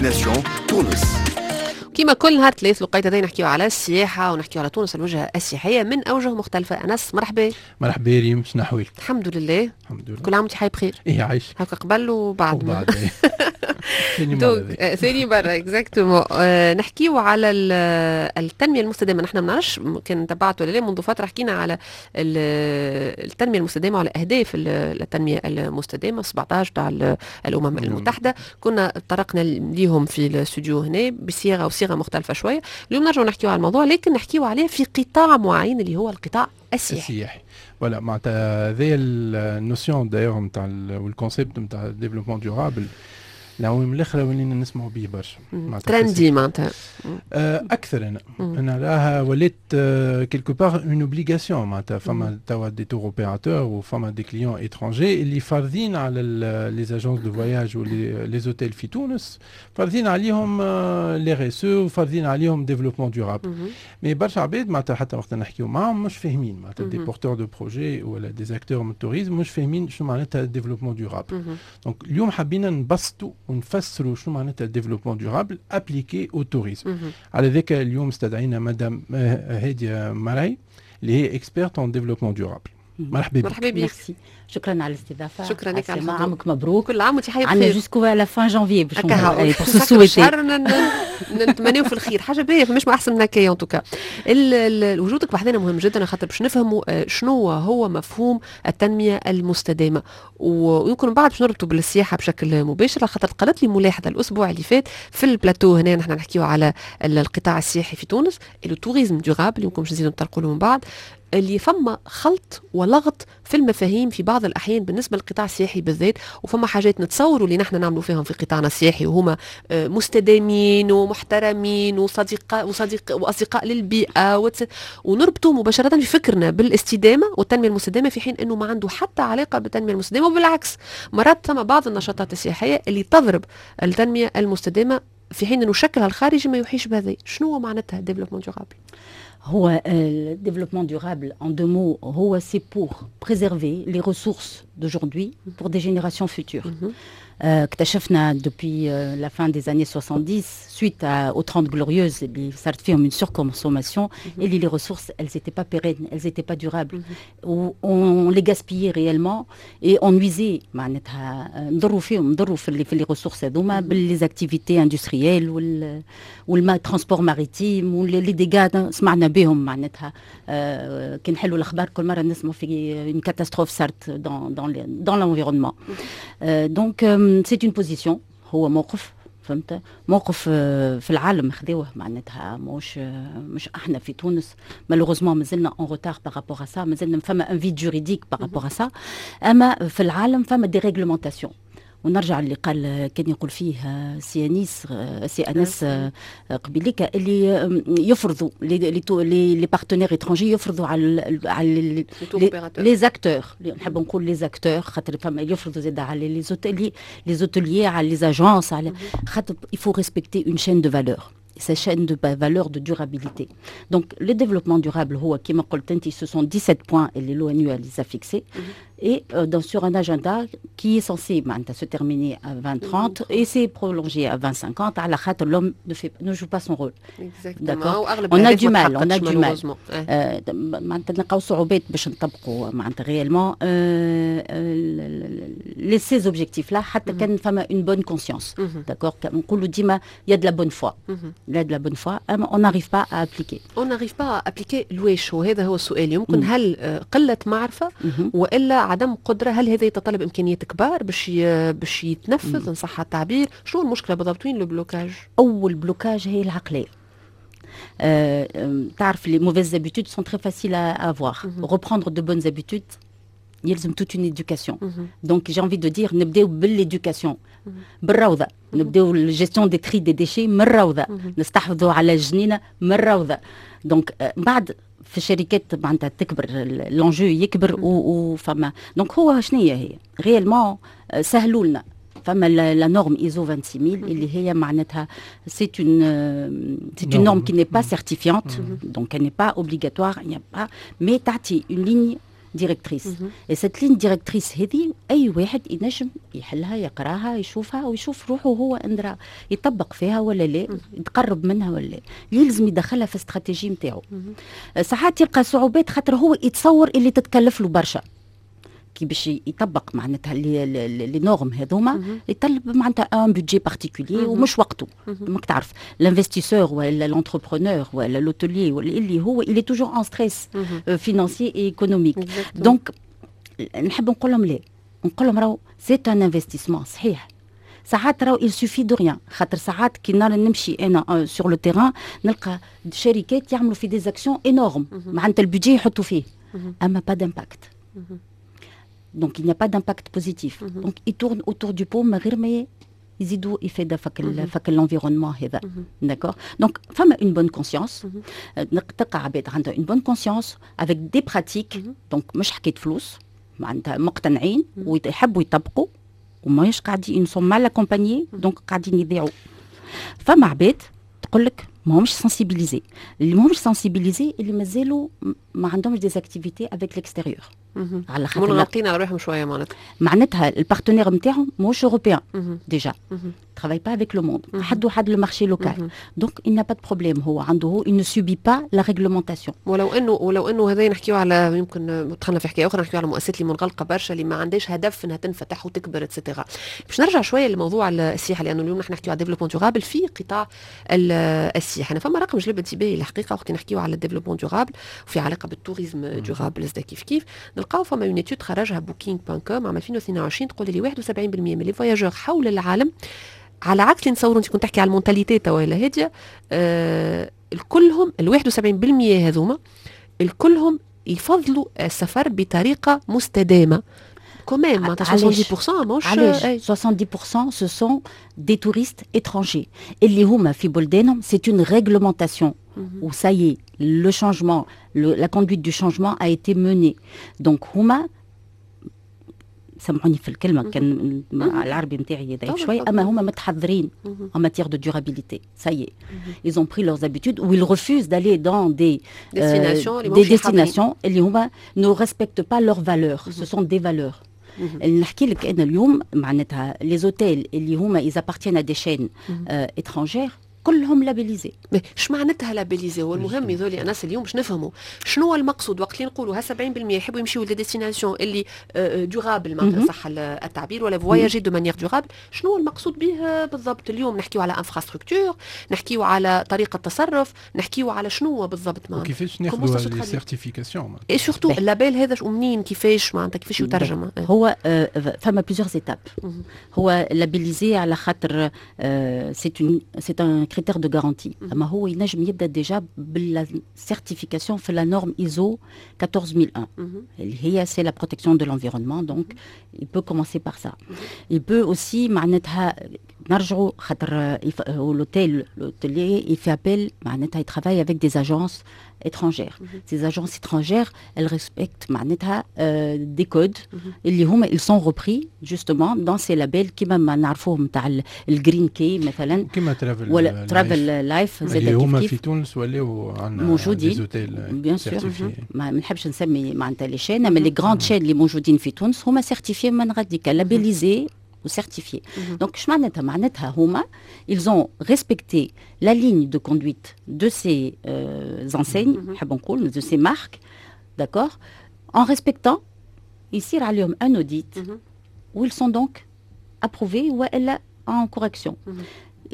Destination تونس. كما كل نهار ثلاث الوقيت هذا نحكيو على السياحة ونحكيو على تونس الوجهة السياحية من أوجه مختلفة. أنس، مرحبا. مرحبا ريم، شنو أحوالك؟ الحمد لله. الحمد لله. كل عام وانت حي بخير. ايه، عايش. هكا قبل وبعد. وبعد إيه. ثاني مرة donc ذي. ثاني مرة exactement. نحكيو على التنمية المستدامة. نحن ما نعرفش كان تبعت ولا لا، منذ فترة حكينا على التنمية المستدامة وعلى أهداف التنمية المستدامة 17 تاع الأمم المتحدة. كنا تطرقنا ليهم في الاستوديو هنا بصيغة وصيغة مختلفة شوية. اليوم نرجع نحكيو على الموضوع، لكن نحكيو عليه في قطاع معين اللي هو القطاع السياحي. السياحي، voilà. معناتها هذايا ال notion d'ailleurs نتاع وال concept نتاع développement durable، العوام الاخرى ولينا نسمعوا به برشا معناتها. trendy معناتها. اكثر، انا راها ولات quelque part une obligation. معناتها فما توا des tour opérateurs وفما des clients étrangers اللي فارضين على les agences de voyage و les hôtels في تونس، فارضين عليهم les RSE وفارضين عليهم développement durable. Mais برشا عباد معناتها حتى وقت نحكيو معاهم مش فاهمين، معناتها des porteurs de projets ولا des acteurs من ال tourisme مش فاهمين شنو معناتها développement durable. Donc اليوم حبينا نبسطوا ونفسروا شنو معناتها développement durable appliqué au tourisme. على ذاك اليوم استدعينا مدام هادية مرعي اللي هي experte en développement durable. مرحبا بك. مرحبا بك. ميرسي، شكرا على الاستضافه. شكرا لك على عسلامة، الحضور. عامك مبروك. كل عام وانت حي عندنا بخير. jusqu'à la fin janvier باش هكا pour se souhaiter. شهر نتمناو في الخير، حاجة باهيه، فماش ما احسن من هكايا. en tout cas وجودك بحذنا مهم جدا، خاطر باش نفهموا شنو هو مفهوم التنمية المستدامه، ويمكن من بعد باش نربطوا بالسياحة بشكل مباشر، خاطر قالت لي ملاحظة الاسبوع اللي فات في البلاتو هنا، نحن نحكيو على القطاع السياحي في تونس، le tourisme durable، يمكن باش نزيدوا نطرقوا له من بعد، اللي فما خلط ولغط في المفاهيم في بعض الأحيان بالنسبة للقطاع السياحي بالذات، وفما حاجات نتصوروا اللي نحن نعملوا فيهم في قطاعنا السياحي وهما مستدامين ومحترمين وصديق وصديق وأصدقاء للبيئة، ونربطوا مباشرة في فكرنا بالاستدامة والتنمية المستدامة، في حين أنه ما عنده حتى علاقة بالتنمية المستدامة. وبالعكس، مرات ثم بعض النشاطات السياحية اللي تضرب التنمية المستدامة، في حين أنه شكلها الخارجي ما يوحيش بهذا. شنو هو معناتها développement durable؟ هو le développement durable en deux mots هو c'est pour préserver les ressources d'aujourd'hui pour des générations futures. اكتشفنا depuis la fin des années 70 suite aux 30 glorieuses اللي صارت فيهم une surconsommation et les ressources elles étaient pas pérennes، elles étaient pas durables، on les gaspillait réellement et on nuisait، معناتها نضروا فيهم، نضروا في les ressources هذوما بال les activités industrielles وال transport maritime و les dégâts سمعنا بهم. معناتها كي نحلوا الاخبار كل مرة نسمعوا في une catastrophe صارت dans l'environnement. donc c'est une position، هو موقف، فهمت، موقف في العالم خذوه، معناتها مش احنا في تونس. malheureusement مازلنا en retard par rapport à ça، مازلنا فما un vide juridique par rapport à ça. اما في العالم فما des réglementations، ونرجع اللي قال كان يقول فيه سي انيس، سي انس قبيليك، اللي يفرضوا les partenaires étrangers، يفرضوا على les acteurs، نحب نقول les acteurs خاطر فما يفرضوا زاد على les hôteliers، على les agences، على خاطر il faut respecter une chaîne de valeur، cette chaîne de valeur de durabilité. Donc, le développement durable، هو كما قلت انت، ce sont 17 points اللي l'ONU les a fixés et sur un agenda qui est censé معناتها se terminer à 2030 et c'est prolongé à 2050 على خاطر l'homme ne joue pas son rôle. D'accord. On a du mal, on a du mal. معناتها نلقاو صعوبات باش نطبقوا معناتها réellement les ces objectifs là، حتى كان فما une bonne conscience. D'accord. نقولوا ديما il y a de la bonne foi. Il y a de la bonne foi، اما on n'arrive pas à appliquer. On n'arrive pas à appliquer لواش؟ وهذا هو السؤال يمكن. هل قلة معرفة والا عدم قدرة؟ هل هذا يتطلب امكانيات كبار باش يتنفذ ان صح التعبير؟ شنو المشكلة بالضبط؟ وين le blocage؟ اول blocage هي العقلية. تعرف les mauvaises habitudes sont très faciles à avoir. Reprendre de bonnes habitudes يلزم toute une éducation. Donc j'ai envie de dire نبداو بال éducation، بالروضه، نبداو ال gestion des tri des déchets من الروضه، نستحفظوا على الجنينة من الروضه. donc بعد في الشركات معناتها تكبر، l'enjeu يكبر وفما donc هو شنو هي réellement سهلوا لنا، فما la norme ISO 26000 اللي هي معناتها c'est une norme qui n'est pas certifiante، donc elle n'est pas obligatoire، il n'y a pas، mais تعطي une ligne directrice. Et cette ligne directrice هذه اي واحد ينجم يحلها، يقراها، يشوفها ويشوف روحه هو اندرا يطبق فيها ولا لا، يتقرب منها ولا لا. يلزم يدخلها في الاستراتيجية نتاعو. ساعات يلقى صعوبات خاطر هو يتصور اللي تتكلف له برشا كي باش يطبق معناتها les normes هذوما، يطلب معناتها un budget particulier ومش وقته. ماك تعرف l'investisseur ولا l'entrepreneur ولا l'hôtelier ولا اللي هو il est toujours en stress financier et économique. donc نحب نقول لهم لا، نقول لهم راهو c'est un investissement. صحيح ساعات راهو il suffit de rien، خاطر ساعات كي نرى نمشي انا sur le terrain نلقى شركات يعملوا في des actions énormes، معناتها ال budget يحطوا فيه اما pas d'impact. donc il n'y a pas d'impact positif. Donc ils tournent autour du pot من غير ما يزيدوا يفيد فك l'environnement هذا. d'accord، donc فما une bonne conscience، تلقى عباد عندها une bonne conscience avec des pratiques. donc مش حكاية فلوس، معناتها مقتنعين ويحبوا يطبقوا وماهيش قاعدين، sont mal accompagnés، donc قاعدين يضيعوا. فما عباد تقول لك ماهمش sensibilisés. اللي ماهمش sensibilisés اللي مازالوا ما عندهمش des activités avec l'extérieur. على خاطر منغلقين على روحهم شوية معناتها. معناتها ال partenaire نتاعهم ماهوش européen déjà، travaille pas avec le monde، حد حد le marché local، donc il n'a pas de problème. هو عنده هو il ne subit pas la réglementation. ولو انه هذا نحكيو على يمكن دخلنا في حكاية اخرى، نحكيو على المؤسسات اللي منغلقه برشا، اللي ما عندهاش هدف انها تنفتح وتكبر et cetera. باش نرجع شوية لموضوع السياحه، لانه اليوم نحن نحكيو على développement durable في قطاع السياحه. انا فما رقم جلب انتباهي الحقيقة وقت نحكيو على ال développement durable وفي علاقة بال tourisme durable كيف كيف نلقاو فما une étude خرجها Booking.com عام 2022 تقول لي 71% من les voyageurs حول العالم، على عكس اللي نتصوروا، انت كنت تحكي على ال mentalité توا هادية الكلهم ال 71% هذوما الكلهم يفضلوا السفر بطريقة مستدامه. quand même معناتها 70% ماهوش. علاش 70؟ ce sont des touristes étrangers اللي هما في بلدانهم c'est une réglementation où ça y est le changement، la conduite du changement a été menée. donc هما سامحوني في الكلمه، كان العربي نتاعي ضعيف شوي، اما هما متحضرين en matière de durabilité. ça y est، ils ont pris leurs habitudes ou ils refusent d'aller dans des destinations des destinations اللي هما ne respectent pas leurs valeurs. ce sont des valeurs. نحكي لك انا اليوم معناتها les hôtels اللي هما ils appartiennent à des chaînes étrangères كلهم labellisés. اش معناتها labellisé؟ هو المهم يذولي الناس اليوم باش نفهموا شنو هو المقصود وقت اللي نقولوا ها 70% يحبوا يمشيوا ل destinations اللي durables، معناتها صح التعبير، ولا voyager de manière durable، شنو هو المقصود به بالضبط؟ اليوم نحكيو على infrastructure، نحكيو على طريقه تصرف، نحكيو على شنو هو بالضبط؟ معناتها كيفاش ناخذوا les certifications؟ et surtout ال label هذا ومنين، كيفاش معناتها كيفاش يترجم؟ هو فما plusieurs étapes. هو labellisé على خاطر c'est un critère de garantie، اما هو ينجم يبدا déjà بال certification في la norme ISO 14001 اللي هي c'est la protection de l'environnement. donc il peut commencer par ça. il peut aussi معناتها نرجعوا خاطر l'hôtel، l'hôtelier il fait appel، معناتها il travaille avec des agences étrangères. Ces agences étrangères، elles respectent معناتها des codes اللي هما ils sont repris justement dans ces labels كيما ما نعرفوهم تاع ال Green Key مثلا. كيما Travel ولا Travel Life. زاد اللي هما في تونس ولاو عندنا. موجودين bien sûr. ما نحبش نسمي معناتها les chaînes، اما les grandes chaînes اللي موجودين في تونس هما certifiés من غاديكا، labellisés ou certifiés. Donc, معناتها هما ils ont respecté la ligne de conduite de ces enseignes, de ces marques, d'accord؟ En respectant, يصير عليهم un audit où ils sont donc approuvés ou en correction.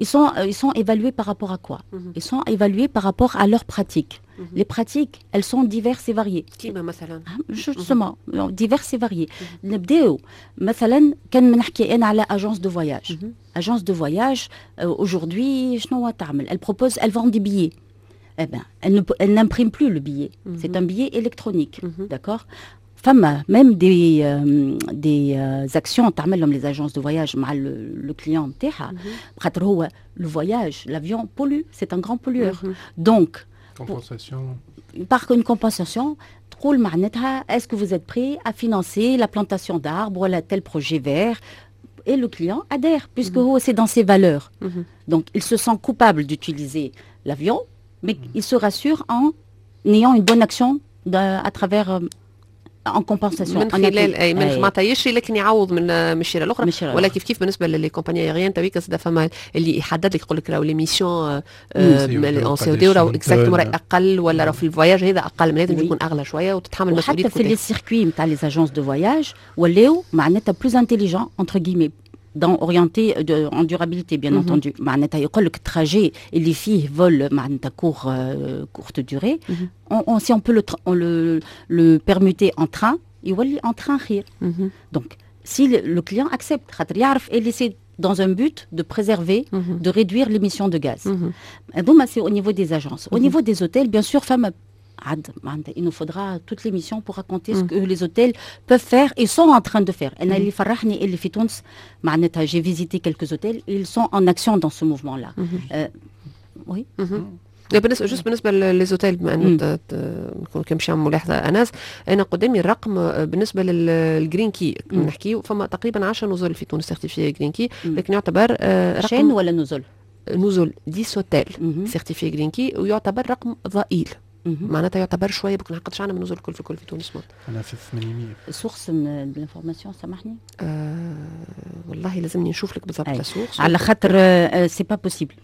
Ils sont évalués par rapport à quoi؟ Ils sont évalués par rapport à leurs pratiques. Les pratiques، elles sont diverses et variées. كيما مثلا؟ Justement، diverses et variées. نبداو مثلا كان نحكي انا على agence de voyage. Agence de voyage aujourd'hui شنو تعمل؟ Elle propose، elle vend des billets. Eh ben، elle n'imprime plus le billet. C'est un billet électronique. D'accord؟ فما même des actions تعملهم les agences de voyage مع le client نتاعها، خاطر هو le voyage، l'avion pollue، c'est un grand pollueur. Donc compensation. par une compensation تقول معناتها est-ce que vous êtes prêt à financer la plantation d'arbres ولا tel projet vert؟ et le client adhère puisque c'est dans ses valeurs. Donc il se sent coupable d'utiliser l'avion، mais il se rassure en ayant une bonne action à travers en compensation. من خلال اي من معناتها يشري لكن يعوض من الشيره الاخرى، ولا كيف كيف بالنسبة ل les compagnies aériennes تويكا زاد فما اللي يحدد لك، يقول لك راهو l'émission en CO2 راهو exactement اقل، ولا راهو في ال voyage هذا اقل من هذا، يكون اغلى شوية وتتحمل مسؤولية. حتى في les circuits نتاع les agences de voyage ولاو معناتها plus intelligents entre guillemets، dans orienté en durabilité bien entendu. معناتها يقول لك ال trajet اللي فيه vol معناتها courte durée، si on peut le permuter en train، يولي en train خير. Donc si le client accepte، خاطر يعرف اللي c'est dans un but de préserver, de réduire l'émission de gaz. Donc, c'est au niveau des agences. Au niveau des hôtels, bien sûr, فما il nous faudra toute l'émission pour raconter ce que les hôtels peuvent faire et sont en train de faire. أنا اللي فرحني اللي في تونس معناتها j'ai visité quelques hôtels، ils sont en action dans ce mouvement-là. Oui. بالنسبة juste بالنسبة les hôtels، بما انه نكون كان باش ملاحظة انس، انا قدامي الرقم بالنسبة لل Green Key نحكيو، فما تقريبا 10 نزل في تونس certifiés Green Key، لكن يعتبر رقم chaînes ولا نزل؟ نزل، 10 hôtels certifiés Green Key، ويعتبر رقم ضئيل، معناتها يعتبر شوية بكون قداش عندنا من نزل الكل في الكل في تونس؟ انا في 800. source l'information، سامحني. والله لازمني نشوف لك بالضبط la source. على خاطر c'est pas possible،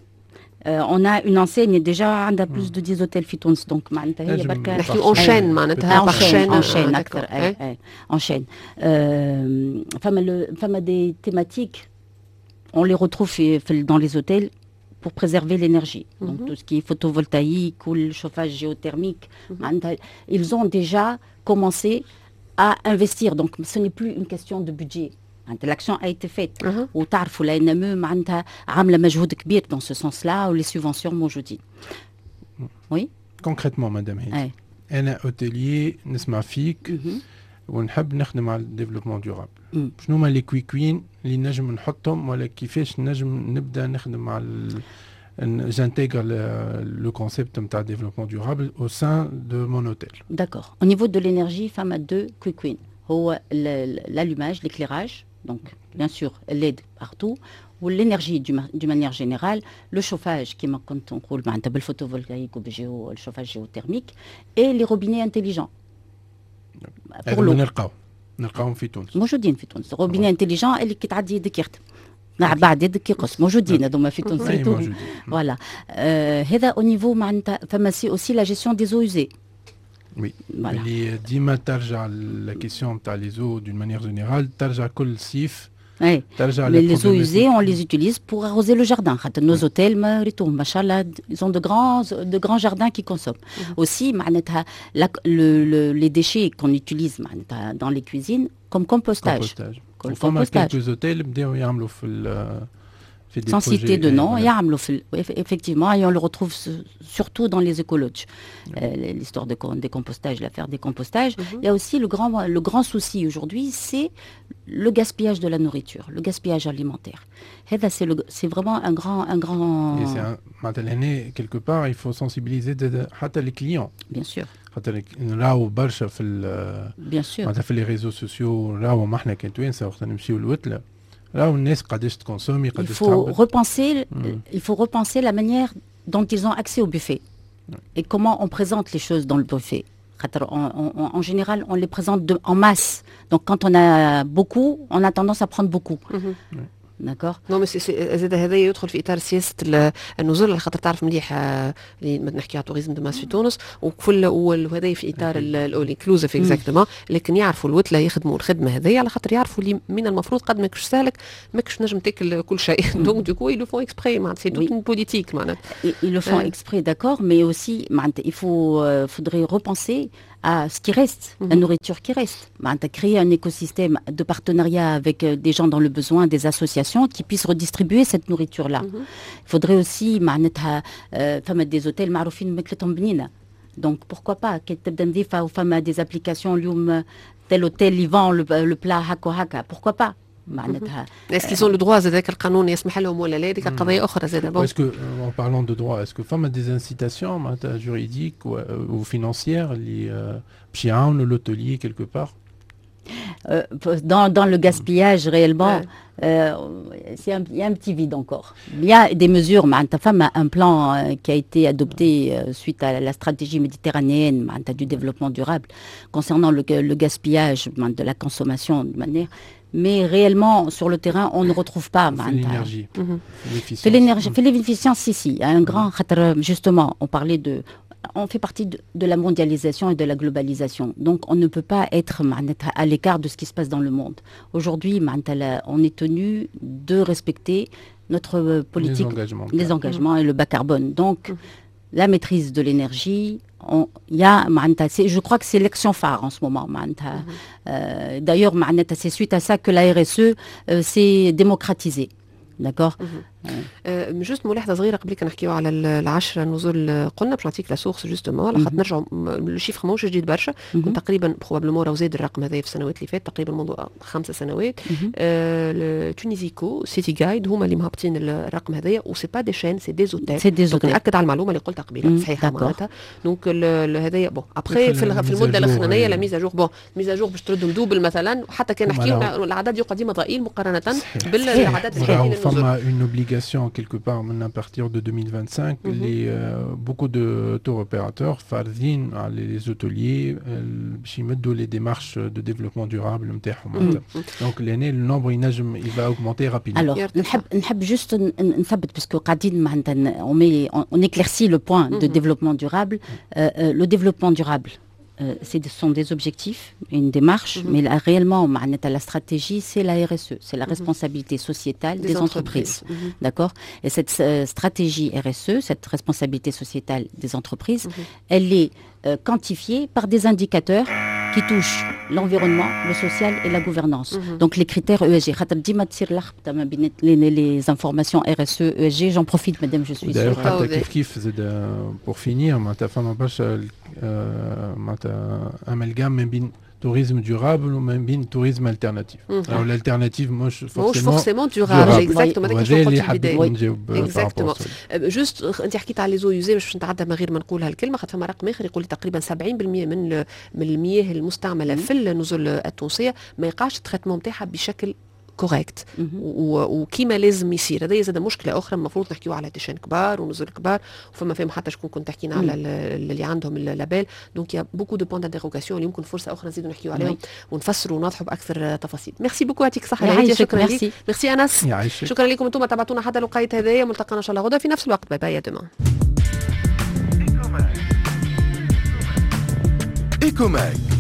on a une enseigne déjà عندها plus de 10 hôtels في تونس، donc معناتها هي بركة نحكي en chaîne، معناتها par chaîne، en chaîne اكثر، اي en chaîne. فما des thématiques on les retrouve dans les hôtels pour préserver l'énergie. Donc tout ce qui est photovoltaïque ou le chauffage géothermique, ils ont déjà commencé à investir. Donc ce n'est plus une question de budget. L'action a été faite. وتعرفوا l'ANME معناتها عامله مجهود كبير dans ce sens-là و les subventions موجودين. Oui. Concrètement madame هيدي، انا hôtelier نسمع فيك ونحب نخدم على ال développement durable، شنو هما les quick wins اللي نجم نحطهم ولا كيفاش نجم نبدا نخدم على j'intègre le concept de développement durable au sein de mon hôtel. D'accord. Au niveau de l'énergie, فما deux quick wins. هو l'allumage, l'éclairage, donc bien sûr LED partout, ou l'énergie d'une manière générale, le chauffage كيما كنت نقول معناتها بال photovoltaïque ou le chauffage géothermique et les robinets intelligents. Pour l'eau. نلقاو نلقاهم في تونس؟ موجودين في تونس، robinet intelligent اللي كي تعدي يدك يخدم، بعد يدك يقص، موجودين هذوما في تونس. Voilà، هذا au niveau معناتها فما c'est aussi la gestion des eaux usées. Oui. اللي ديما ترجع la question تاع les eaux d'une manière générale، ترجع كل صيف. Oui. Mais les eaux usées, on les utilise pour arroser le jardin. Nos hôtels, ils ont de grands jardins qui consomment. Aussi, les déchets qu'on utilise dans les cuisines comme compostage. Compostage. Compostage. Quelques hôtels بداوا يعملوا في Sans citer de nom, effectivement, et on le retrouve surtout dans les écolodges. L'histoire de décompostage, l'affaire décompostage. Il y a aussi le grand souci aujourd'hui, c'est le gaspillage de la nourriture, le gaspillage alimentaire. C'est vraiment un grand. Et quelque part, il faut sensibiliser les clients. Bien sûr. خاطر نراو برشا في Bien sûr. معناتها في les réseaux sociaux، راهو ما احنا كان توانسة وقت نمشيو الوتله راهو الناس قداش ت consommer قداش. Il faut repenser la manière dont ils ont accès au buffet et comment on présente les choses dans le buffet. En général, on les présente en masse. Donc quand on a beaucoup, on a tendance à prendre beaucoup. D'accord. Non mais زاد هذا يدخل في اطار سياسة النزول، على خاطر تعرف مليح اللي نحكي على tourisme de masse في تونس وكل، وهذا في اطار ال all inclusive exactement، لكن يعرفوا الوتله يخدموا الخدمة هذه على خاطر يعرفوا اللي من المفروض قد ماكش سالك ماكش نجم تاكل كل شيء، donc du coup ils le font exprès، معناتها c'est toute une politique معناتها. Ils le font exprès, d'accord, mais aussi il faudrait repenser à ce qui reste, la nourriture qui reste. Créer un écosystème de partenariat avec des gens dans le besoin, des associations qui puissent redistribuer cette nourriture-là. Il faudrait aussi معناتها فما des hôtels معروفين ماكلتهم بنينة. Donc pourquoi pas كي تبدا نظيفة وفما des applications اليوم، tel hôtel il vend le plat هكا هكا، pourquoi pas معناتها. Est-ce qu'ils ont le droit زاد، القانون يسمح لهم ولا لا، هذيك قضية اخرى زاد. Est-ce que en parlant de droit، est-ce que فما des incitations معناتها juridiques ou financières اللي باش يعاونوا l'hôtelier quelque part؟ Dans le gaspillage réellement, il y a un petit vide encore. Il y a des mesures, معناتها فما un plan qui a été adopté suite à la stratégie méditerranéenne معناتها du développement durable concernant le gaspillage معناتها de la consommation de manière, mais réellement sur le terrain on ne retrouve pas في l'énergie. في l'énergie, في l'efficience, si si, un grand خاطر justement on parlait de on fait partie de la mondialisation et de la globalisation. Donc, on ne peut pas être معناتها à l'écart de ce qui se passe dans le monde. Aujourd'hui, معناتها on est tenu de respecter notre politique, les engagements, les engagements et le bas carbone. Donc, la maîtrise de l'énergie, il y a, معناتها, je crois que c'est l'action phare en ce moment. معناتها. D'ailleurs, معناتها, c'est suite à ça que la RSE s'est démocratisée. D'accord. Juste ملاحظة صغيرة قبل كي نحكيو على العشرة نزل، قلنا باش نعطيك la source justement، على خاطر نرجعوا ال chiffre ماهوش جديد برشا، تقريبا probablement راهو زاد الرقم هذا في السنوات اللي فاتت، تقريبا منذ 5 سنوات. Tuniseco، City Guide هما اللي مهبطين الرقم هذايا، و c'est pas des chaînes، c'est des hôtels. c'est des hôtels. ناكد على المعلومة اللي قلتها قبيلة، صحيحه معناتها. donc هذايا bon après في المدة الاخرانية la mise à jour، bon mise à jour باش تردهم double مثلا، وحتى كان نحكيو العدد يقعد ديما ضئيل مقارنة بالعدد الحالي. فما une obligation quelque part à partir de 2025 beaucoup de tour opérateurs فارضين على les hôteliers باش يمدوا les démarches de développement durable نتاعهم. donc لهنا le nombre ينجم il va augmenter rapidement. alors نحب juste نثبت parce que قاعدين معناتها on éclaircit le point de développement durable. Le développement durable, ce sont des objectifs, une démarche, mais là, réellement, معناتها la stratégie, c'est la RSE, c'est la responsabilité sociétale des entreprises. D'accord. Et cette stratégie RSE, cette responsabilité sociétale des entreprises, elle est quantifiée par des indicateurs qui touchent l'environnement, le social et la gouvernance. Donc les critères ESG. خاطر ديما تصير لخبطة ما بين les informations RSE, ESG. J'en profite, madame, je suis D'ailleurs, حتى كيف كيف زاد pour finir، معناتها فما برشا معناتها amalgame ما بين tourisme durable وما بين tourisme alternatif. Alors l'alternative مش مش forcément durable، exactement. هذا اللي حبيت نجاوب. exactement. juste انت حكيت على les eaux usées، باش نتعدى من غير ما نقول هالكلمه، خاطر فما رقم اخر يقول تقريبا 70% من المياه المستعملة في النزل التونسية ما يقعش ال traitement نتاعها بشكل correct وكيما لازم يصير. هذا زاد مشكلة اخرى، المفروض نحكيو على des chaînes كبار ونزل كبار، وفما فيهم حتى شكون كنت تحكينا على اللي عندهم ال label. donc y a beaucoup de points d'interrogation اللي يمكن فرصة اخرى نزيدوا نحكيو عليهم ونفسروا ونوضحوا باكثر تفاصيل. merci beaucoup، يعطيك الصحة، شكرا لك، ميرسي انس، شكرا لكم انتم تابعتونا حتى الوقيت هذايا. ملتقانا ان شاء الله غدا في نفس الوقت. bye bye، à demain. Ecomag.